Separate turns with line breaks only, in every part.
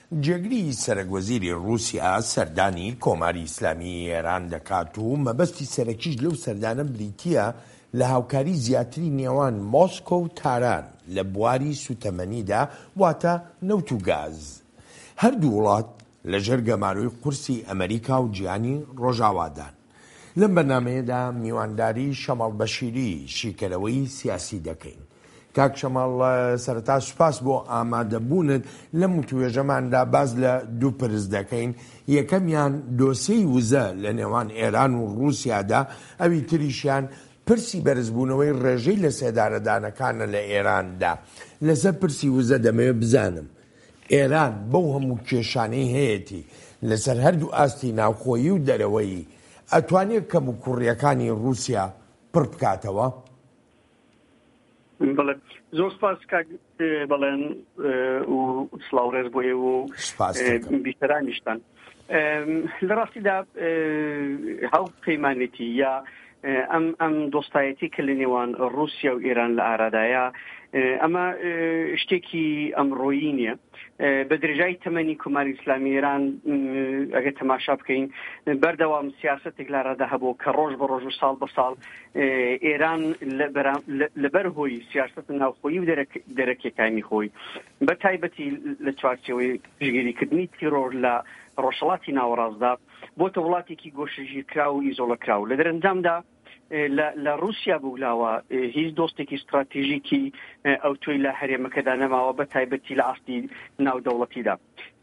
جێگری سەرەک وەزیری ڕووسیا سەردانی کۆماری ئیسلامیی ئێران دەکات و مەبەستی سەرەکیش لەو سەردانە بریتییە لە هاوکاری زیاتری نێوان مۆسکۆ و تاران لە بواری سووتەمەنیدا واتە نەوت و گاز. هەردوو وڵات لەژێر گەمارۆی قورسی ئەمەریکا و جیهانی ڕۆژاوادان. لەم بەرنامەیەدا میوانداری شەماڵ بەشیری شیکەرەوەی سیاسی دەکەین. کاک شەماڵ سەرەتا سوپاس بۆ ئامادەبوونت لەم وتوێژەماندا باس لە دوو پرس دەکەین یەکەمیان دۆسیەی وزە لە نێوان ئێران و ڕووسیادا ئەوی تریشیان پرسی بەرزبوونەوەی ڕێژەی لەسێدارەدانەکانە لە ئێراندا لەسەر پرسی وزە دەمەوێت بزانم ئێران بەو هەموو کێشانەی هەیەتی لەسەر هەردوو ئاستی ناوخۆیی و دەرەوەیی ئەتوانێت کەموکوڕییەکانی ڕووسیا پڕ بکاتەوە؟
بەڵێ زۆر سپاس کاک بەڵێن و سڵاو ڕێز بۆ ئێوە و بیسەرانیشتان لە ڕاستیدا هاو پەیمانێتی یا ئەم ئەم دۆستایەتی کە لە نێوان ڕووسیا و ئێران لە ئارادایە ئەمە شتێکی ئەمڕۆیی نییە بە درێژای تەمەنی کۆماری ئیسلامی ئێران ئەگەر تەماشا بکەین بەردەوام سیاستێک لارادا هەبوو کە ڕۆژ بە ڕۆژ و ساڵ بە ساڵ ئێران لەبەر هۆی سیاست ناوخۆیی و دەرەکیەکانی خۆی بە تایبەتی لە چوارچێوەی پشگیریکردنی تیرۆر لە ڕۆژهەڵاتی ناوەڕاستدا بۆتە وڵاتێکی گۆشەگیرکراو و ئیزۆڵەکراو لە دەرەنجامدا لە رووسیا بوولاوە هیچ دۆستێکی ستراتیژیکی ئەوتۆی لە هەرێمەکەدا نەماوە بە تایبەتی لە ئاستی ناودەوڵەتیدا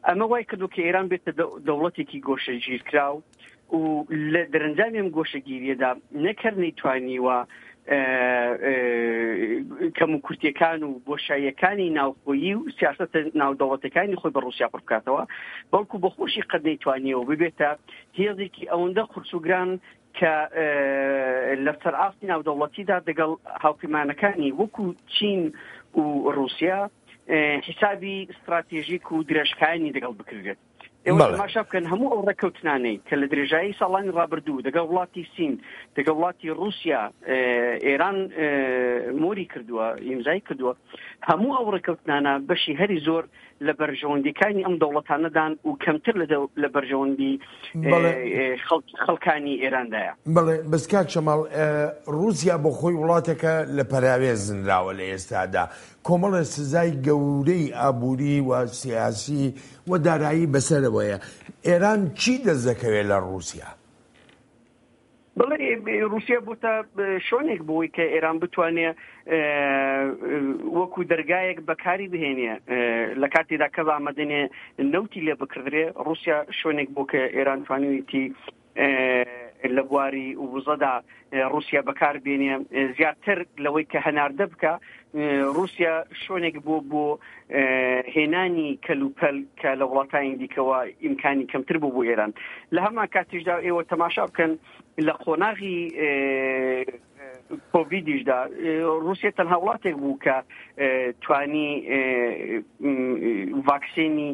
ئەمە وای کردو کە ئێران بێتە دەوڵەتێکی گۆشەگیرکراو و لە دەرەنجامی ئەم گۆشەگیریەدا نەک هەر نەیتوانیوە کەموکورتیەکان و بۆشاییەکانی ناوخۆیی و سیاسەتە ناودەوڵەتەکانی خۆی بە ڕوسیا پڕ بکاتەوە بەڵکو بە خۆشی قەت نەیتوانیەوە ببێتە هێزێکی ئەوەندە قورس و گران کە لەسەر ئاستی ناودەوڵەتیدا دەگەڵ هاوپەیمانەکانی وەکو چین و ڕوسیا حیسابی ستراتێژیک و درێژخایەنی دەگەڵ بکرێت. ئێوە تەماشا بکەن هەموو ئەو ڕێککەوتنانەی کە لە درێژایی ساڵانی ڕابردوو دەگەڵ وڵاتی سین دەگەڵ وڵاتی ڕووسیا ئێران مۆری کردووە ئیمزای کردووە هەموو ئەو ڕێککەوتنانە بەشی هەری زۆر لە بەرژەوەندیەکانی ئەم دەوڵەتانەدان و کەمتر لە بەرژەوەندی خەڵکانی ئێراندایە.
بەڵێ بەس کاک شەماڵ ڕووسیا بۆ خۆی وڵاتێکە لە پەراوێز نراوە لە ئێستادا کۆمەڵێ سزای گەورەی ئابووری و سیاسی و دارایی بەسەرەوەیە، ئێران چی دەست دەکەوێت لە ڕووسیا؟
بەڵێ ڕووسیا بۆتە شوێنێک بۆی کە ئێران بتوانێ وەکو دەرگایەک بەکاری بهێنێ لە کاتێدا کەس ئامادەنێ نەوتی لێ بکردرێ ڕووسیا شوێنێک بۆ کە ئێران توانیویتی لە بواری وزەدا ڕووسیا بەکار بێنێ زیاتر لەوەی کە هەناردە بکە ڕووسیا شوێنێک بۆ بۆ هێنانی کەلوپەل کە لە وڵاتانی دیکەوە ئیمکانی کەمتر بوو بۆ ئێران لە هەمان کاتیشدا ئێوە تەماشا بکەن لە قۆناغی کۆڤیدیشدا رووسیا تەنها وڵاتێک بوو کە توانی ڤاکسینی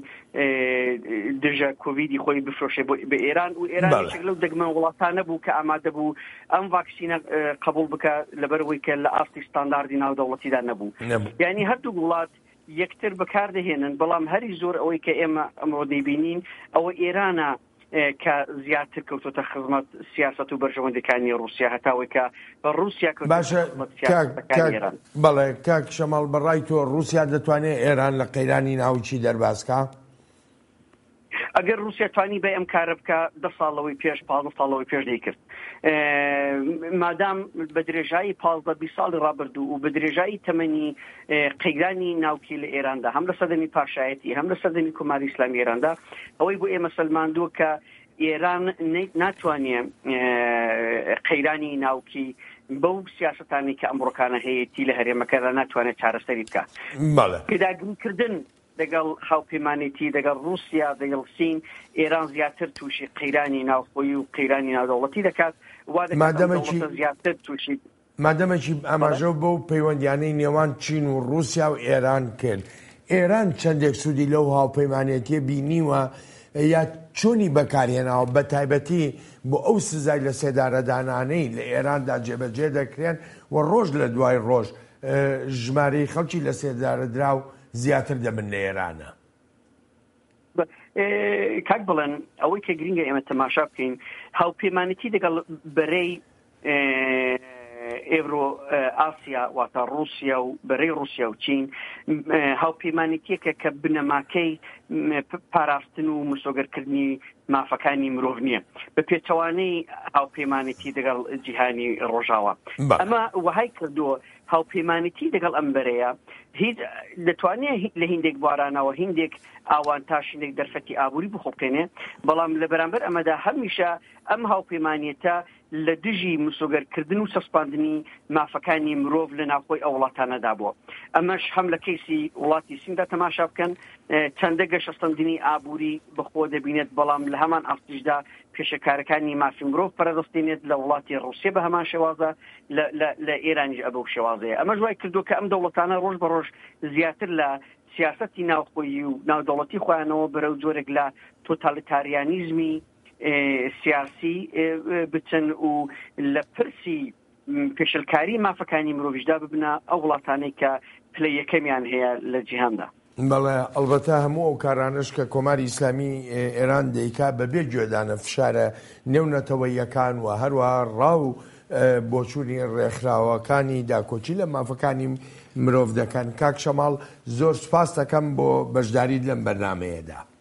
دژە کۆڤیدی خۆی بفرۆشێ بە ئێران و ئێران یەکێک لەو دەگمەن وڵاتانە بوو کە ئامادە بوو ئەم ڤاکسینە قبول بکە لەبەرەوەی کە لە ئاستی ستانداردی ناودەوڵەتیدا نەبوو یعنی هەردوو وڵات یەکتر بەکاردەهێنن بەڵام هەری زۆر ئەوەی کە ئێمە ئەمڕۆ دەیبینین ئەوە ئێرانە کە زیاتر کەوتۆتە خزمەت سیاسەت و بەرژەوەندیەکانی ڕووسیا هەتاوەی کە ڕووسیا کەوتۆتە
باشە
خزمەت
کاک
سیاسەتەکانی
کاک
ئێران.
بەڵێ کاک شەماڵ بە ڕای تۆ ڕووسیا دەتوانێ ئێران لە قەیرانی ناوکی دەرباز کا؟
ئەگەر ڕووسیا توانی بای ئەم کارە بکا دە ساڵ لەوەی پێش 15 ساڵ لەوەی پێش دەیکرد. مادام بە درێژایی 15 20 ساڵی ڕابردوو و بە درێژایی تەمەنی قەیرانی ناوکی لە ئێراندا هەم لە سەردەمی پاشایەتی هەم لە سەردەمی کۆماری ئیسلامی ئێراندا ئەوەی بۆ ئێمە سەلماندووە کە ئێران ناتوانێ قەیرانی ناوکی بەو سیاستانی کە ئەمڕۆکانە هەیەی لە هەرێمەکەدا ناتوانێت چارەسەری بکات. پێداگریکردن دەگەڵ هاوپەیمانێتی دەگەڵ ڕووسیا دەگەڵ سین ئێران زیاتر تووشی قەیرانی ناوخۆیی و قەیرانی ناودەوڵەتی دەکات وا دەکات ئەم دەوڵەتە زیاتر تووشی
مادەمەکی ئاماژە بەو پەیوەندیانەی نێوان چین و ڕووسیا و ئێران کرد، ئێران چەندێک سوودی لەو هاوپەیمانێتیە بینیوە یا چۆنی بەکارهێناوە بەتایبەتی بۆ ئەو سزای لە سێدارەدانانەی لە ئێراندا جێبەجێ دەکرێن و ڕۆژ لە دوای ڕۆژ ژمارەی خەڵکی لە سێدارەدراو زیاتر دەبن لە ئێرانە؟
کاک بڵێن ئەوەی کە گرنگە ئێمە تەماشا بکەین هاوپەیمانێتی دەگەڵ بەرەی ئێڤرۆ ئاسیا واتە ڕووسیا و بەرەی ڕووسیا و چین هاوپەیمانێتیەکە کە بنەماکەی پاراستن و مسۆگەرکردنی مافەکانی مرۆڤ نییە بە پێچەوانەی هاوپەیمانێتی دەگەڵ جیهانی ڕۆژاوا ئەمە وەهای کردووە هاوپەیمانێتی دەگەڵ ئەم بەرەیە هیچ دەتوانێت لە هیندێک بوارانەوە هیندێک ئاوانتاش هیندێک دەرفەتی ئابووری بخوڵقێنێ بەڵام لە بەرامبەر ئەمەدا هەمیشە ئەم هاوپەیمانێتە لە دژی مسۆگەرکردن و چەسپاندنی مافەکانی مرۆڤ لە ناوخۆی ئەو وڵاتانەدا بووە. ئەمەش هەم لە کەیسی وڵاتی سیندا تەماشا بکەن چەندە گەشەسەندنی ئابووری بەخۆوە دەبینێت، بەڵام لە هەمان ئاستیشدا پێشێکارەکانی مافی مرۆڤ پەرەدەستێنێت، لە وڵاتی ڕووسیە بە هەمان شێوازە، لە ئێرانیش ئەبەو شێوازەیە. ئەمەش وای کردووە کە ئەم دەوڵەتانە ڕۆژ بە ڕۆژ زیاتر لە سیاسەتی ناوخۆیی و ناودەوڵەتی خۆیانەوە بەرەو جۆرێک لە تۆتالیتاریانیزمی سیاسی بچن و لە پرسی پێشلکاری مافەکانی مرۆڤیشدا ببنە ئەو وڵاتانەی کە پلە یەکەمیان هەیە لە جیهاندا.
بەڵێ، ئەڵبەتە هەموو ئەو کارانەش کە کۆماری ئیسلامی ئێران دەیکا بە بێ گوێدانە فشارە نێونەتەوەییەکان و هەروەها ڕا و بۆچوونی ڕێکخراوەکانی داکۆکی لە مافەکانی مرۆڤ دەکەن. کاک شەماڵ زۆر سوپاست دەکەم بۆ بەشداریت لەم بەرنامەیەدا.